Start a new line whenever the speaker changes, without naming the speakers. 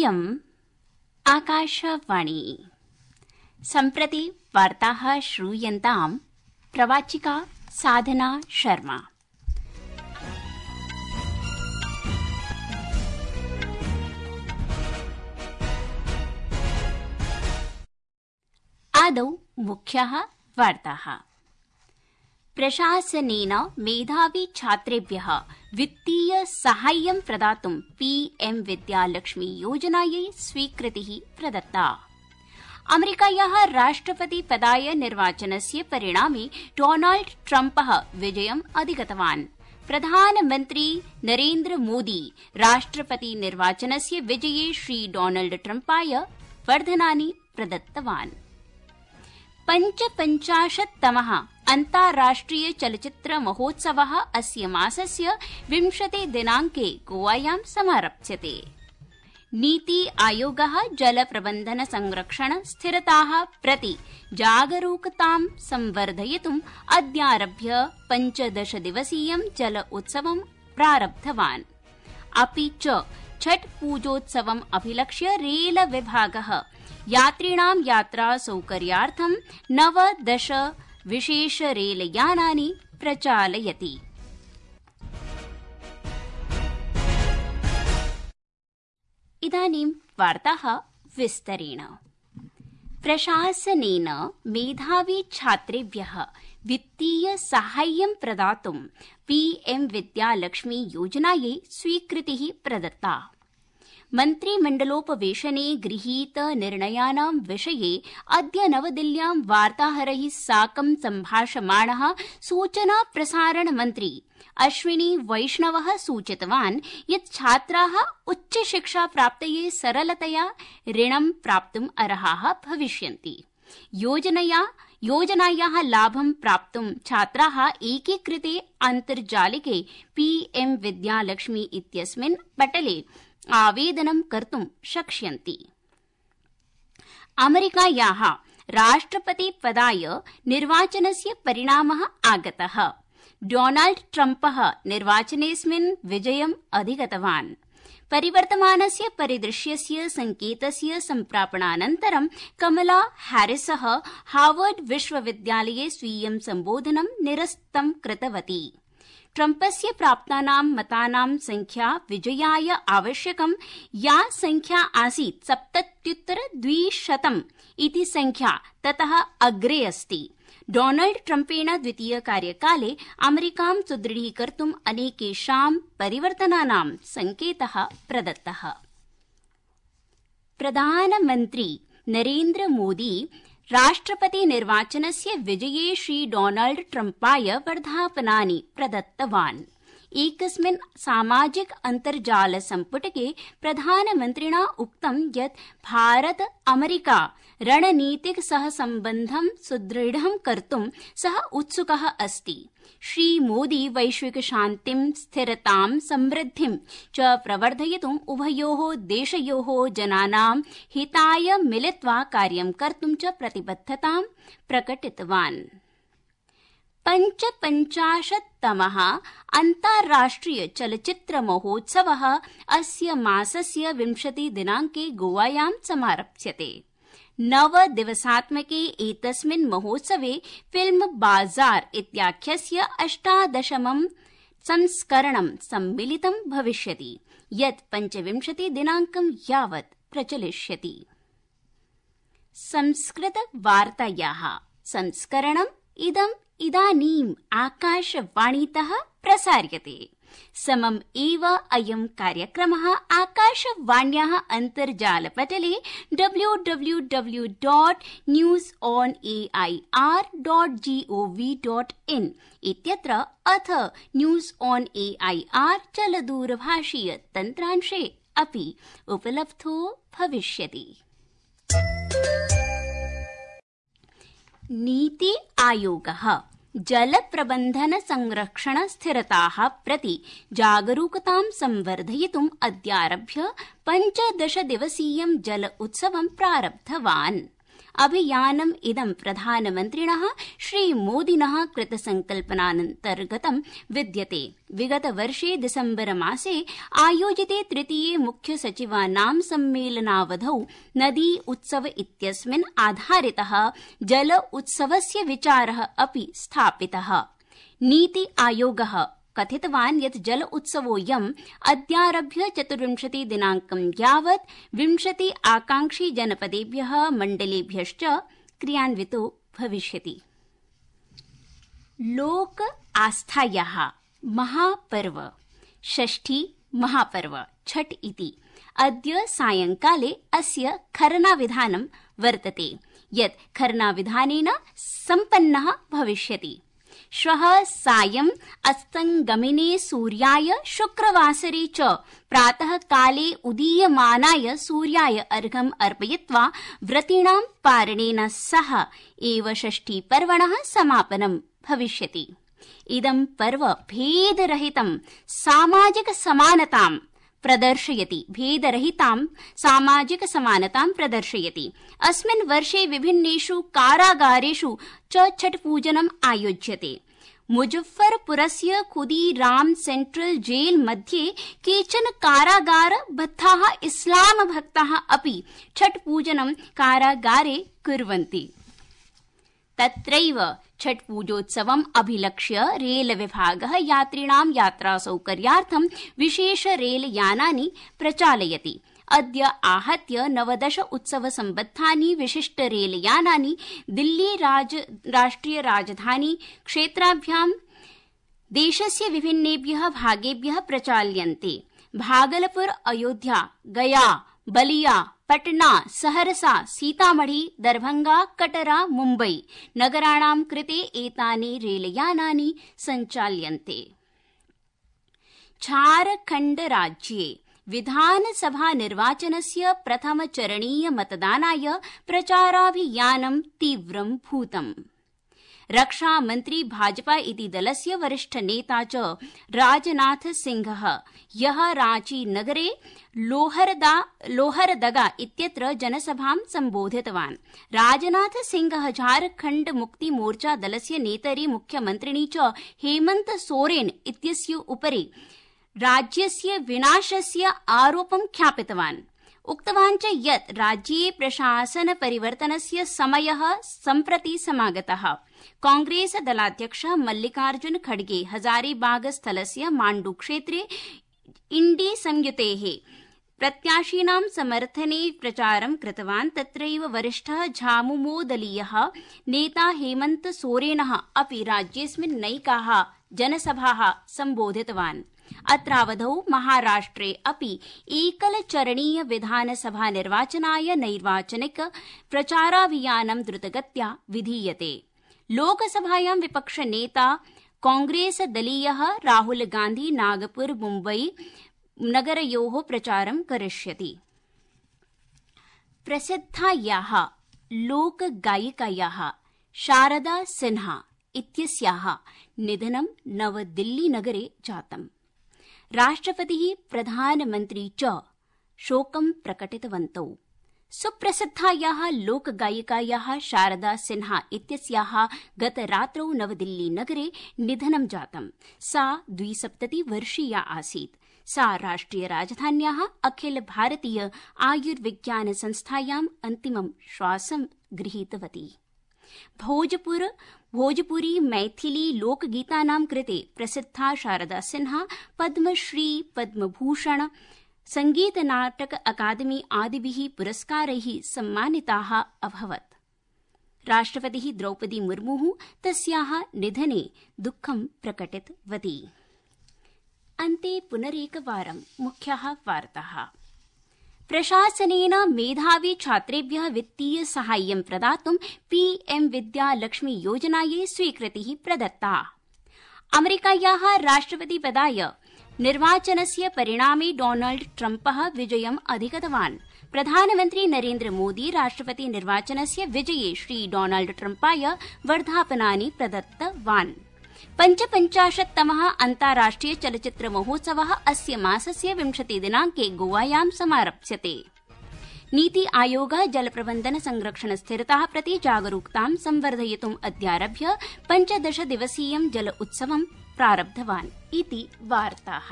इयम् आकाशवाणी। सम्प्रति वार्ताः श्रूयन्ताम् प्रवाचिका साधना शर्मा। आदौ मुख्याः वार्ताः। प्रशासनेन मेधावी छात्रेभ्यः वित्तीय साहाय्यं प्रदातुं पीएम विद्यालक्ष्मी योजनायै स्वीकृतिः प्रदत्ता। अमेरिकायाः राष्ट्रपतिपदाय निर्वाचनस्य परिणामे डोनाल्ड ट्रम्पः विजयम् अधिगतवान्। प्रधानमन्त्री नरेन्द्र मोदी राष्ट्रपति निर्वाचनस्य विजये श्री डोनाल्ड ट्रम्पाय वर्धनानि प्रदत्तवान्। 55तमः अन्ताराष्ट्रिय चलच्चित्र महोत्सवः अस्य मासस्य 20 दिनाङ्के गोवायां समारप्स्यते। नीति आयोगः जलप्रबन्धन संरक्षण स्थिरताः प्रति जागरूकतां संवर्धयितुम् अद्यारभ्य 15 दिवसीयं जल उत्सवं प्रारब्धवान्। अपि च छठ पूजोत्सवम् अभिलक्ष्य रेल विभागः यात्रिणां यात्रा सौकर्यार्थं 19 विशेष रेलयानानि प्रचालयति। इदानीं वार्ताः विस्तरेण। प्रशासनेन मेधावी छात्रेभ्यः वित्तीय साहाय्यं प्रदातुं पीएम विद्यालक्ष्मी योजनायै स्वीकृतिः प्रदत्ता। मन्त्रिमण्डलोपवेशने गृहीत निर्णयानां विषये अद्य नवदिल्ल्यां वार्ताहरैः साकं सम्भाषमाणः सूचना प्रसारण मन्त्री अश्विनी वैष्णवः सूचितवान् यत् छात्राः उच्चशिक्षा प्राप्तये सरलतया ऋणं प्राप्तुम् अर्हाः भविष्यन्ति। योजनायाः लाभं प्राप्तुं छात्राः एकीकृते अन्तर्जालिके पीएम विद्यालक्ष्मी इत्यस्मिन् पटले आवेदनं कर्तुं शक्ष्यन्ति। अमेरिकायाः राष्ट्रपतिपदाय निर्वाचनस्य परिणामः आगतः। डोनाल्ड ट्रम्पः निर्वाचनेऽस्मिन् विजयम् अधिगतवान्। परिवर्तमानस्य परिदृश्यस्य संकेतस्य सम्प्रापणानन्तरं कमला हैरिसः हार्वर्ड विश्वविद्यालये स्वीयं सम्बोधनं निरस्तं कृतवती। ट्रम्पस्य प्राप्तानां मतानां संख्या विजयाय आवश्यकं या संख्या आसीत् 77,200 इति संख्या ततः अग्रे अस्ति। डोनाल्ड ट्रम्पेण द्वितीय कार्यकाले अमेरिकां सुदृढीकर्तुम् अनेकेषां परिवर्तनानां संकेतः प्रदत्तः। प्रधानमन्त्री नरेन्द्र मोदी राष्ट्रपति निर्वाचनस्य विजये श्री डोनाल्ड ट्रम्पाय वर्धापनानि प्रदत्तवान्। एकस्मिन् सामाजिक अन्तर्जाल सम्पुटके प्रधानमन्त्रिणा उक्तं यत् भारत अमेरिका रणनीतिक सहसम्बन्धं सुदृढं कर्तुं सः उत्सुकः अस्ति। श्रीमोदी वैश्विक शान्तिं स्थिरतां समृद्धिं च प्रवर्धयितुम् उभयोः देशयोः जनानां हिताय मिलित्वा कार्यं कर्तुं च प्रतिबद्धतां प्रकटितवान्। 55तमः अन्ताराष्ट्रिय चलच्चित्र महोत्सवः अस्य मासस्य 20 दिनाङ्के गोवायां समारप्स्यते। 9 दिवसात्मके एतस्मिन् महोत्सवे फिल्म बाजार इत्याख्यस्य 18मं संस्करणं सम्मिलितं भविष्यति, यत् 25 दिनाङ्कं यावत् प्रचलिष्यति। संस्कृत वार्तायाः संस्करणम् इदानीम् आकाशवाणीतः प्रसार्यते। समम् एव अयं कार्यक्रमः आकाशवाण्याः अन्तर्जालपटले www.newsonair.gov.in इत्यत्र अथ न्यूस् ऑन् एआईआर चलदूरभाषीय तन्त्रांशे अपि उपलब्धो भविष्यति। नीति आयोगः जलप्रबन्धन संरक्षण स्थिरताः प्रति जागरूकतां संवर्धयितुम् अद्यारभ्य 15 दिवसीयं जल उत्सवं प्रारब्धवान्। अभियानम् इदं प्रधानमन्त्रिणः श्रीमोदिनः कृतसंकल्पनान्तर्गतं विद्यते। विगतवर्षे दिसम्बर मासे आयोजिते तृतीये मुख्य सचिवानां सम्मेलनावधौ नदी उत्सव इत्यस्मिन् आधारितः जल उत्सवस्य विचारः अपि स्थापितः। नीति आयोगः कथितवान् यत् जल उत्सवोऽयम् अद्यारभ्य 24 दिनाङ्कं यावत् 20 आकांक्षी जनपदेभ्यः मण्डलेभ्यश्च क्रियान्वितो भविष्यति। लोक आस्थायाः महापर्व षष्ठी महापर्व छठ इति अद्य सायंकाले अस्य खरनाविधानं वर्तते यत् खरनाविधानेन सम्पन्नः भविष्यति। श्वः सायं अस्तङ्गमिने सूर्याय शुक्रवासरे च प्रातः काले उदीयमानाय सूर्याय अर्घ्यम् अर्पयित्वा व्रतीणां पारणेन सह एव षष्ठीपर्वणः समापनं भविष्यति। इदं पर्व भेदरहितं सामाजिक समानतां प्रदर्शयति। अस्मिन् वर्षे विभिन्नेषु कारागारेषु च छठ पूजनम् आयोज्यते। मुजफ्फरपुरस्य खुदीराम सेंट्रल जेल मध्ये केचन कारागारबद्धाः इस्लाम भक्ताः अपि छठ पूजनं कारागारे कुर्वन्ति। तत्रैव छठ पूजोत्सवम् अभिलक्ष्य रेल विभागः यात्रिणां यात्रासौकर्यार्थं विशेष रेलयानानि प्रचालयति। अद्य आहत्य 19 उत्सवसम्बद्धानि विशिष्ट रेलयानानि दिल्ली राष्ट्रिय राजधानी क्षेत्राभ्यां देशस्य विभिन्नेभ्यः भागेभ्यः प्रचाल्यन्ते। भागलपुर, अयोध्या, गया, बलिया, पटना, सहरसा, सीतामढ़ी, दरभंगा, कटरा, मुम्बई नगराणां कृते एतानि रेलयानानि सञ्चाल्यन्ते। झारखण्ड राज्ये विधानसभा निर्वाचनस्य प्रथमचरणीय मतदानाय प्रचाराभियानं तीव्रं भूतम्। रक्षामन्त्री भाजपा इति दलस्य वरिष्ठ नेता च राजनाथ सिंहः ह्यः रांची नगरे लोहरदगा इत्यत्र जनसभां सम्बोधितवान्। राजनाथ सिंहः झारखण्ड मुक्ति मोर्चा दलस्य नेतरि मुख्यमन्त्रिणी च हेमन्त सोरेन इत्यस्य उपरि राज्यस्य विनाशस्य आरोपं ख्यापितवान्। उक्तवान् च यत् राज्ये प्रशासन परिवर्तनस्य समयः सम्प्रति समागतः। कांग्रेस दलाध्यक्षः मल्लिकार्जुन खड़गे हजारीबाग स्थलस्य माण्डु क्षेत्रे इंडी संयुतेः प्रत्याशिनां समर्थने प्रचारं कृतवान्। तत्रैव वरिष्ठः झामुमो दलीयः नेता हेमन्त सोरेनः अपि राज्येऽस्मिन् नैकाः जनसभाः सम्बोधितवान्। अत्रावधौ महाराष्ट्रे अपि एकलचरणीय विधानसभा निर्वाचनाय नैर्वाचनिक प्रचाराभियानं द्रुतगत्या विधीयते। लोकसभायां विपक्षनेता कांग्रेस दलीयः राहुल गांधी नागपुर मुम्बई नगरयोः प्रचारं करिष्यति। प्रसिद्धायाः लोकगायिकायाः शारदा सिन्हा इत्यस्याः निधनं नवदिल्ली नगरे जातम्। राष्ट्रपतिः प्रधानमन्त्री च शोकं प्रकटितवन्तौ। सुप्रसिद्धायाः लोकगायिकायाः शारदा सिन्हा इत्यस्याः गतरात्रौ नवदिल्ली नगरे निधनं जातम्। सा 72 वर्षीया आसीत्। सा राष्ट्रिय राजधान्याः अखिल भारतीय आयुर्विज्ञान संस्थायाम् अन्तिमं श्वासं गृहीतवती। भोजपुरी मैथिली लोकगीतानां कृते प्रसिद्धा शारदा सिन्हा पद्मश्री, पद्मभूषण, संगीत नाटक अकादमी आदिभिः पुरस्कारैः सम्मानिताः अभवत्। राष्ट्रपतिः द्रौपदी मुर्मुः तस्याः निधने दुःखं प्रकटितवती। अन्ते पुनरेकवारं मुख्याः वार्ताः। प्रशासनेन मेधावी छात्रेभ्यः वित्तीय साहाय्यं प्रदातुं पीएम विद्या लक्ष्मी योजनायै स्वीकृतिः प्रदत्ता। अमेरिकायाः राष्ट्रपतिपदाय निर्वाचनस्य परिणामे डोनाल्ड ट्रम्पः विजयम् अधिगतवान्। प्रधानमन्त्री नरेन्द्र मोदी राष्ट्रपति निर्वाचनस्य विजये श्री डोनाल्ड ट्रम्पाय वर्धापनानि प्रदत्तवान्। 55तमः अन्ताराष्ट्रिय चलच्चित्र महोत्सवः अस्य मासस्य 20 दिनाङ्के गोवायां समारप्स्यते। नीति आयोग जल प्रबन्धन संरक्षण स्थिरता प्रति जागरूकतां संवर्धयितुम् अद्यारभ्य 15 दिवसीयं जल उत्सवं प्रारब्धवान् इति वार्ताः।